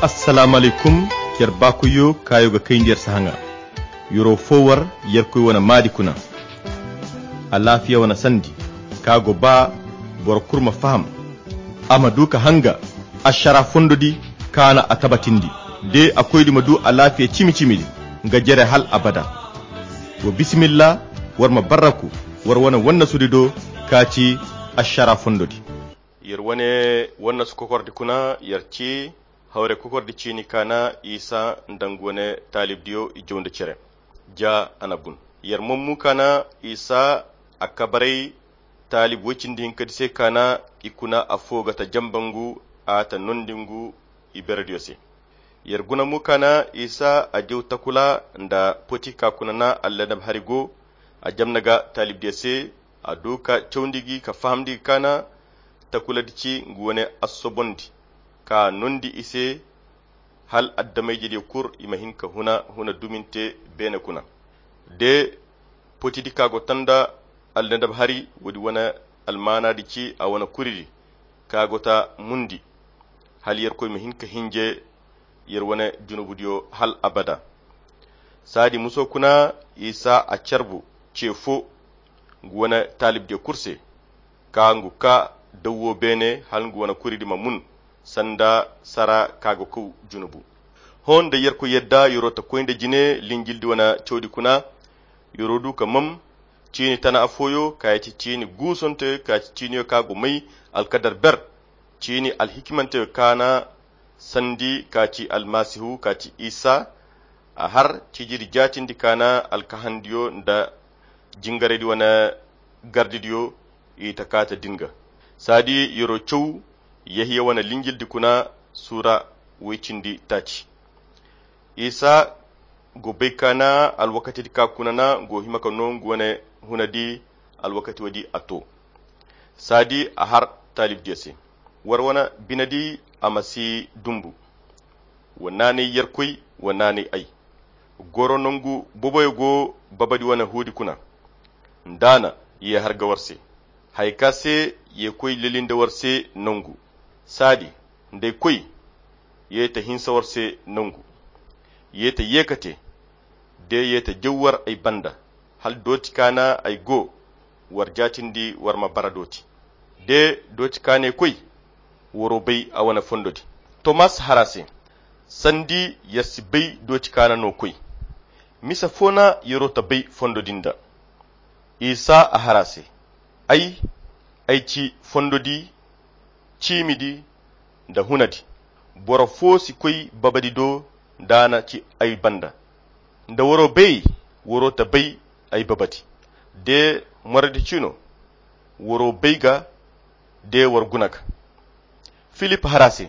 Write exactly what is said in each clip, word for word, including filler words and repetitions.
Assalamu alaykum. Yer baakoyyo kaayo ga kayndi yer sahaŋa. Yero fo war yerkoy wane maadi kuna. Alaafiya wane sandi ka go ba boro kulu ma faham, a ma du ka hanga ašara fondo di ka na a tabatindi, de a koydi ma du alaafiya cimi-cimi di nga jere hal abada. Wa bisimilla, war ma barraku war wane wannasudi do ka ci ašara fondo di. Yer wane wannasu kokordi kuna yer ci hawre kokordi ciini ka na isa nda nga wane taalibdiyo i jaw nda cere. Ja a na bun. Yer mommu ka na isa a kabaray taalib woy cindi hinkadi se ka na i kuna afo ga ta jamba ngu a ta nondi ngu i berediyo se. Yer guna mo ka na isa a jaw takula nda poti ka kuna na alladab hari go a jamna ga taalibdiyo se. A du ka cawndi gi ka fahamndi gi ka na takuladi ci ngu wane assobondi ka nondi i se hal addamayjediyo kul i ma hin ka huna huna duminte beene kuna. De potidi ka go ta nda alnadab hari woodi wane almaanadi ci a wane kuridi ka go ta mundi hal yerkoy ma hin ka hinje yer wane junubudiyo hal abada. Saadi muso kuna isa a carbu ce fo ngu wane taalibdiyo kul se ka ngu ka dawwo beene hal ngu wane kuridi ma mun sanda sara ka go kaw junubu. Hõ nda yerkoy yadda yero ta koy nda jine linjildi wane cawdi kuna. Yero du ka mam ciini tana affooyo ka ya ci ciini guusonte ka ya ci ciiniyo ka go may alkadar ber ciini alhikimanteyo ka na sandi ka ci almasihu ka ci isa. A har cijiri jaatindi ka na alkahandiyo nda jingaraydi wane gardidiyo i ta kaata din ga. Saadi yero caw yahiya wane linjildi kuna suura woy cindi taaci. Isa go bay ka na alwakatidi ka kuna na go hima ka no ngu wane hunadi alwakati woodi a to. Saadi a har taalibdiyo se war wane binedi a ma si dumbu. Wa naanay yerkoy wa naanay ay goro nongu boboyo go babadi wane huudi kuna. Nda a na ye har ga war se haya ka se ye koy leli nda war se nongu. Saadi nda ay koy ye ta hinsa war se nongu. Ye ta ye ka te de ye ta jaw war ay banda hala dooti ka na ay go war jaatindi war ma bara dooti. De dooti ka na ay koy waro bay a wane fondodi. Tomas har a se sandi yer si bay dooti ka na no koy. Misa fo na yero ta bay fondodi nda isa a har a se ay ay ci fondodi ciimidi nda hunadi. Boro fo si koy babadi do nda a na ci ay banda. Nda waro bay waro ta bay ay babadi de moradi cino waro bay ga de war guna ga. Filip har a se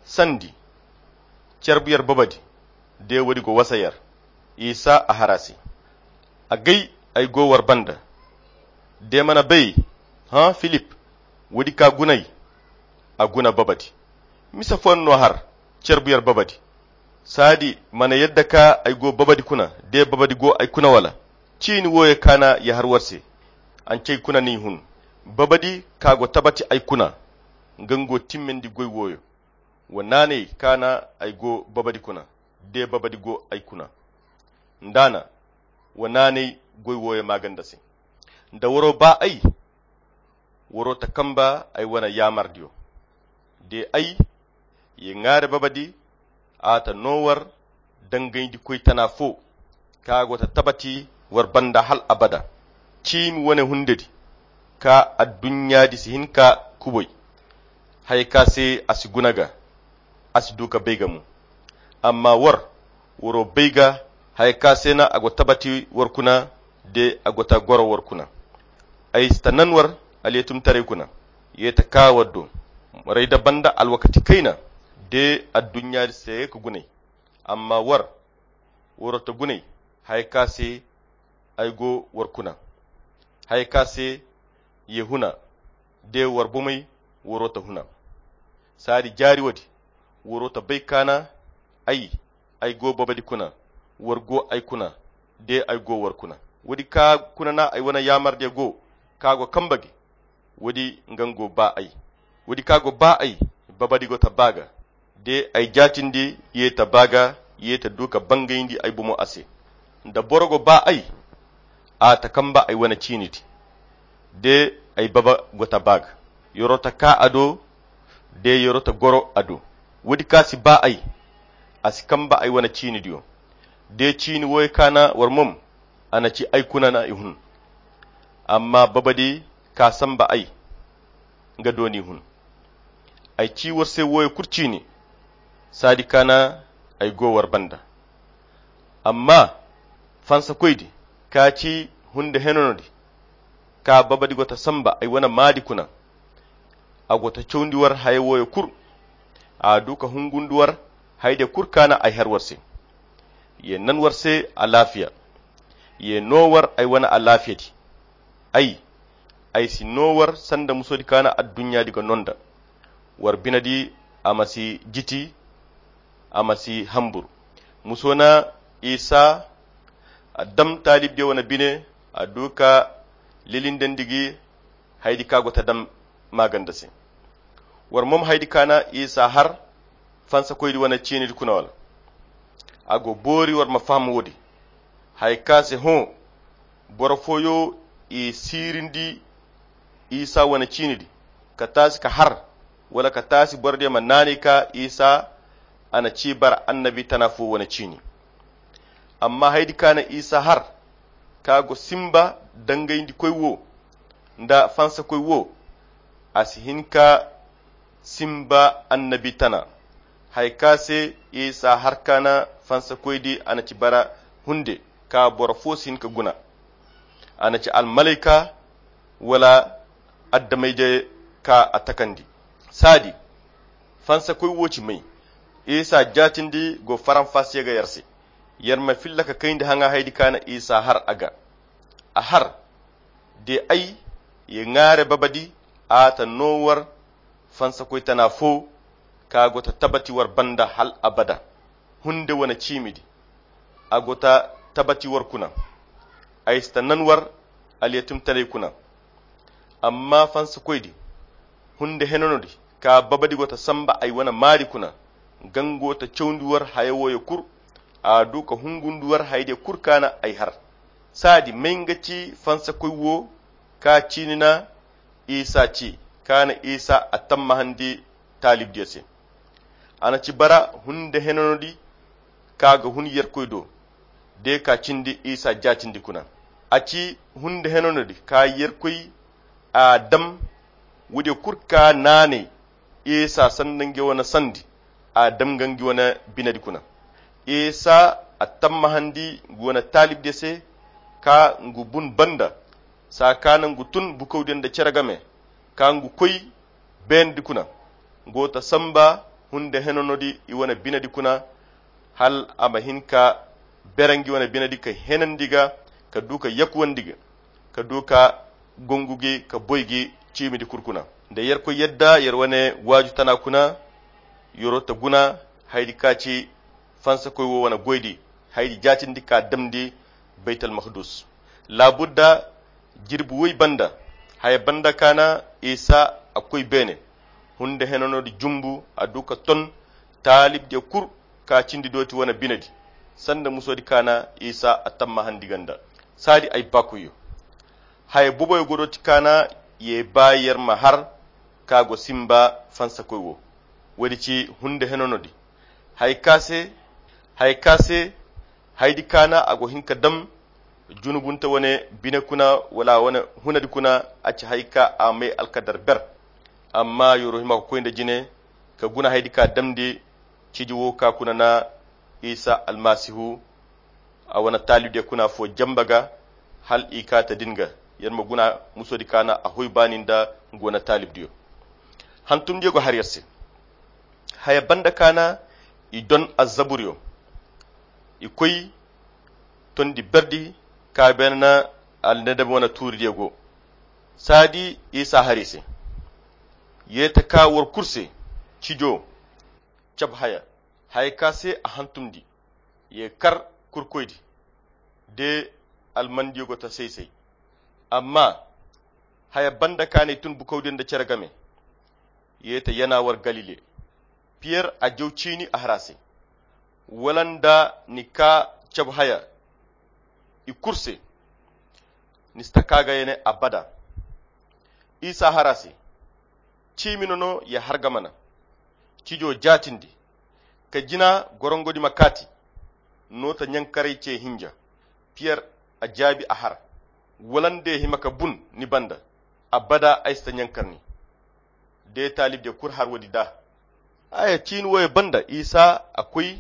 sandi carbu yer babadi de woodi go wasa yer. Isa a har a se agay ay go war banda de mana bay? Hã filip woodi ka guna ay a guna babadi. Misa fo no har carbu yer babadi. Saadi mana yadda ka ay go babadi kuna de babadi go ay kuna wala? Ciini wooyo ka na ya har war se. Ancey kuna n'i hun babadi ka go tabati ay kuna nga nga go timmandi goy wooyo. Wa naanay ka na ay go babadi kuna de babadi go ay kuna. Nda a na wa naanay goy wooyo maaganda se. Nda waro ba ay waro ta kamba ay wane yaamardiyo de ay ye ŋwaari babadi a ta no war dangayndi koy tana fo ka go ta tabati war banda hal abada. Ciimi wane hundedi ka adduɲɲaadi si hin ka kubay haya ka se a si guna ga a si du ka bay ga mo. Amma war waro bay ga haya ka se na a go tabati war kuna de a go ta goro war kuna. Ay si ta nan war alyeetumtaray kuna ye ta kaa war do. Moray da banda alwakati kayna de adduɲɲaadi se ka gunay. Amma war waro ta gunay haya ka se ay go war kuna haya ka se ye huna de war bomey waro ta huna. Saadi jaari woodi waro ta bay ka na ay ay go babadi kuna war go ay kuna de ay go war kuna. Woodi ka kuna na ay wane yaamardiyo go ka go kamba gi. Woodi nga go ba ay woodi ka go ba ay babadi go ta ba ga. De ay jaatindi ye ta baa ga, ye ta du ka bangayndi ay bomo a se. Da boro go baa ay, a ta kamba ay wane ciinidi. De ay baba go ta baa ga, yoro ta kaa a do, de yoro ta goro a do. Woodi ka si baa ay, a si kamba ay wane ciinidiyo. De ciini wooyo ka na war mom, a na ci ay kuna na i hun. Amma babadi ka samba ay, nga do n'i hun. Ay ci war se wooyo kulu ciini, saadi ka na ay go war banda. Amma fansakoydi ka ci hunde henanodi, ka babadi go ta samba ay wane maadi kuna. A go ta cawndi war haya wooyo kulu. A du ka hungundi war hayde kulu ka na ay har war se. Ye nan war se alaafiya. Ye no war ay wane alaafiyadi. Ay, ay si no war sanda musodi ka na adduɲɲaadi ga no nda. War binedi a ma si jiti, a ma si hambur. Muso na Isa a dam taalibdiyo wane bine, a du ka lilindandi gi haydi ka go ta dam maaganda se. War mom haydi ka na Isa har fansakoydi wane ciinidi kuna wala? A go boori war ma faham woodi. Haya ka se hõ, boro fooyo i siirindi Isa wane ciinidi, ka taasi ka har, wala ka taasi borodiyo ma naanay ka Isa a na ci bara annabi tana fo wane ciini. Amma haydi ka na Isa har, ka go simba dangayndikoy wo nda fansakoy wo, a si hin ka simba annabi tana. Hay ka se Isa har ka na fansakoydi a na ci bara hunde ka boro fo si hin ka guna. A na ci almalayka wala addamayje ka a takandi. Saadi, fansakoy wo ci may. Isa jaatindi go faranfasiye ga yar se. Yar ma filla ka kayndi haŋa haydi ka na Isa har a ga. A har, de ay ye ŋaare babadi, a ta no war fansakoy tana fo, ka go ta tabati war banda hal abada. Hunde wane ciimidi, a go ta tabati war kuna. Ay si ta nan war alyatimtaray kuna. Amma fansakoydi, hunde henanodi, ka babadi go ta samba ay wane maari kuna. Gango ta cawndi war haya wooyo kulu. A du ka hungundi war hayde kulu ka na ay har. Saadi may nga ci fansakoy wo ka ciini na Isa ci, ka na Isa a tammahandi taalibdiyo se. A na ci bara hunde henanodi ka ga hun Yerkoy do, de ka cindi Isa jaatindi kuna. A ci hunde henanodi ka Yerkoy a dam, woodiyo kulu ka naanay Isa sanda nga wane sandi, a dam nga nga wane binedi kuna. Isa a tammahandi nga wane taalibdiyo se ka ngu bun banda, saa ka na ngu tun bukawdiyo nda cere game, ka ngu koy beendi kuna. Ngu ta samba hunde henanodi i wane binedi kuna, hal a ma hin ka bere nga wane binedi ka henandi ga, ka du ka yakuwandi ga, ka du ka gongu gi ka boy gi ciimidi kulu kuna. Nda Yerkoy yadda yer wane waaju tana kuna, yoro ta guna haydi ka ci fansakoy wo wane goydi, haydi jaatindi ka damndi Baytal Makdus. Laabudda jirbi woy banda, haya banda ka na Isa a koy beene. Hunde henanodi jumbu a du ka ton taalibdiyo kulu ka cindi dooti wane binedi, sanda musodi ka na Isa a tammahandi ganda. Saadi ay baakoyyo, haya boboyo go dooti ka na ye ba yer ma har ka go simba fansakoy wo. Woodi ci hunde henanodi. Hay ka se, hay ka se, haydi ka na a go hin ka dam junubunte wane bine kuna, wala wane hunadi kuna, a ci hay ka a may alkadar ber. Amma yoro hima ka koy nda jine ka guna haydi ka damndi ciji wo ka kuna na Isa Almasihu a wane taalibdiyo kuna fo jamba ga, hal i ka ta din ga. Yer ma guna musodi ka na a hoy baani nda nga wane taalibdiyo. Hantumdiyo go har yer se. Haya banda ka na i don azzaburiyo, i koy tondi berdi ka beene na alnadab wane tuuridiyo go. Saadi Isa har i se. Ye ta ka war kulu se, cijo, cab haya, haya ka se a hantumndi, ye kar kurkoydi, de almandiyo go ta say-say. Amma haya banda ka na i tun bukawdiyo nda cere game, ye ta yana war Galile. Piyer a jaw ciini a har a se, wala nda ni kaa cabu haya i kulu se, ni si taka ga ya ne abada. Isa har a se, ciimi no no ya har ga mana. Cijo jaatindi ka jina gorongodi ma kaati. Noota ɲankaray ce hinja. Piyer a jaabi a har, wala nda ya hima ka bun ni banda, abada ay si ta ɲankar ni. De taalibdiyo kulu har woodi da. Haya ciini wooyo banda isa a koy,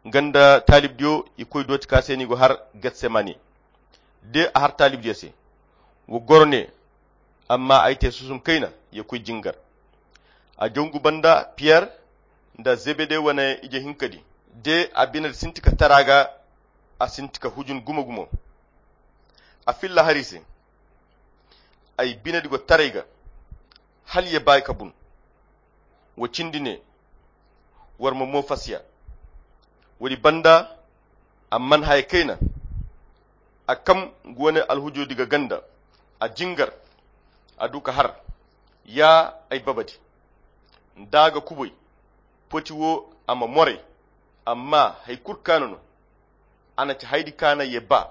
nga nda taalibdiyo i koy dooti ka se no i go har getsemane. De a har taalibdiyo se, wa goro ne, amma ay te susum kayna ya koy jingar. A jangu banda piyer nda zebede wane ije hinka di, de a bine sinti ka tara ga. A sinti ka hujun gumo gumo. A filla har i se, ay binedi go taray ga, hala ye ba ay ka bun. Wo cindi ne, war ma mo fasiya. Woodi banda a man haya kayna. A kam nga wane alhujudi ga ganda, a jingar, a du ka har, ya ay babadi, nda a ga kubay, poti wo a ma moray. Amma hay kulu kaana no. A na ci haydi kaana ye ba,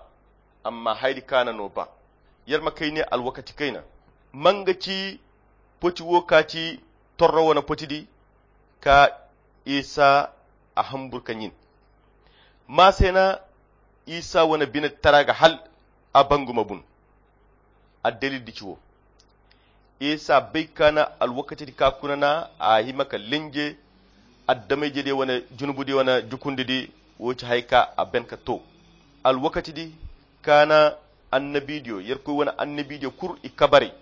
amma haydi kaana no ba. Yer ma kay ne alwakati kayna, manga ci poti wo ka ci torro wane poti di, ka isa a hambur ka ɲin. Ma se na isa wane bine tara ga hal a bangu ma bun. Addalil di ci wo, isa bay kaana alwakati di ka kuna na a hima ka lenje. Addamayje di wane junubu di wane jukundi di, wo ci hay ka a ben ka to. Alwakati di kaana annabidiyo yerkoy wane annabidiyo kulu i kabaray.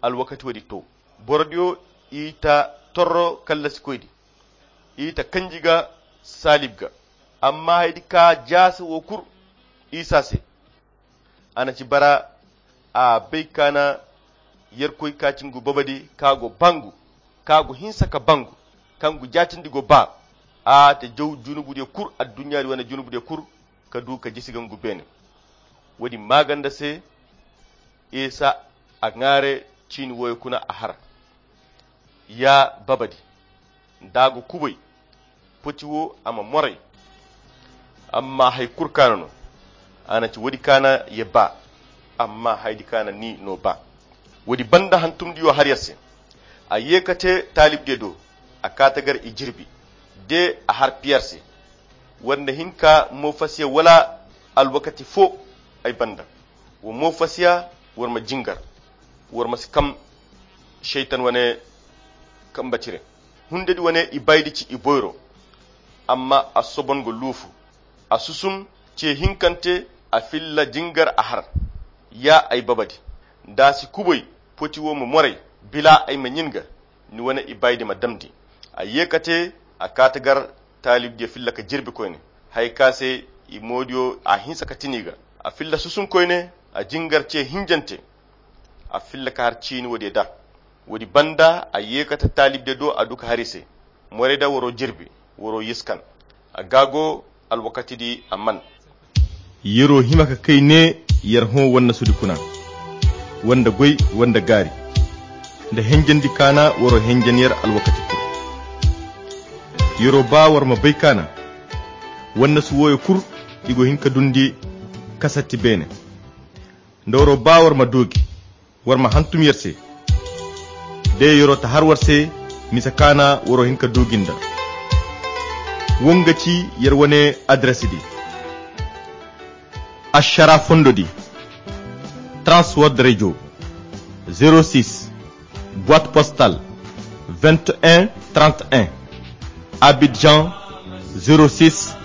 Alwakati wo di to, borodiyo i ta torro kallasikoy di, i ta kanji ga saalib ga. Amma haydi ka jaasa wo kulu isa se. A na ci bara a bay kaana yerkoy ka ci ngu babadi ka go bangu, ka go hinsa ka bangu, ka ngu jaatindi go ba. A ta jaw junubudiyo kulu adduɲɲaadi wane junubudiyo kulu ka du ka jisi ga ngu beene. Woodi maaganda se isa a ŋaare ciini wooyo kuna a har. Ya babadi, nda a ga kubay, poti wo a ma moray. Amma hay kulu kaana no. A na ci woodi kaana ye ba, amma haydi kaana ni no ba. Woodi banda hantumdiyo har yer se. A ye ka te taalibdiyo do, a kaata gar i jirbi. De a har piyer se, war na hin ka mo fasiya wala alwakati fo ay banda? Wa mo fasiya, war ma jingar, war ma si kam. Seytan wane kamba cire, hundedi wane i baydi ci i boyro. Amma a sobon ga luufu, a susum ce hinkante, a filla jingar a har. Ya ay babadi, nda a si kubay, poti wo ma moray, bila ay ma ɲin ga, ni wane i baydi ma damndi. A ye ka te, a kaata gar taalibdiyo filla ka jirbi koyne, hay ka se i moodiyo a hinsa ka tini ga. A filla susum koyne, a jingar ce hinjante. A filla ka har ciini woodiyo da. Woodi banda a ye ka ta taalibdiyo do, a du ka har i se, moray da waro jirbi, waro yiskan. A gaago alwakati di a man. Yero hima ka kay ne, yer hõ wannasudi kuna, wanda goy, wanda gaari, nda henjandi kaana waro henjan yer alwakati kulu. Yero ba war ma bay kaana wannasu wooyo kulu, i go hin ka dundi kasatti beene. Nda waro ba war ma doogi, war ma hantum yer se. De yero ta har war se, misa kaana waro hin ka doogi nda. Wonga ci yer wane adres di. Ashara fondo di, transword radio, zéro six, boîte postale, vingt et un trente et un, Abidjan, zéro six,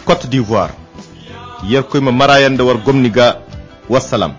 Côte d'Ivoire. Yerkoy ma marayan da war gomni ga. Wassalam.